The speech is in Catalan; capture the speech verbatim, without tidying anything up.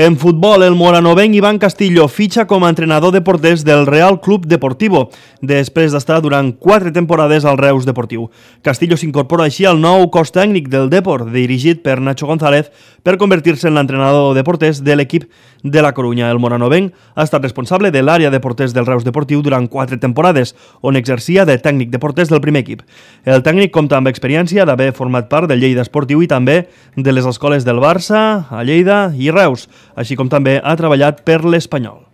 En futbol, el moranovenc Iván Castillo fitxa com a entrenador de porters del Real Club Deportivo, després d'estar durant quatre temporades al Reus Deportiu. Castillo s'incorpora així al nou cos tècnic del Depor, dirigit per Nacho González, per convertir-se en l'entrenador de porters de l'equip de la Corunya. El moranovenc ha estat responsable de l'àrea de porters del Reus Deportiu durant quatre temporades, on exercia de tècnic de porters del primer equip. El tècnic compta amb experiència d'haver format part del Lleida Esportiu i també de les escoles del Barça, a Lleida i Reus, així com també ha treballat per l'Espanyol.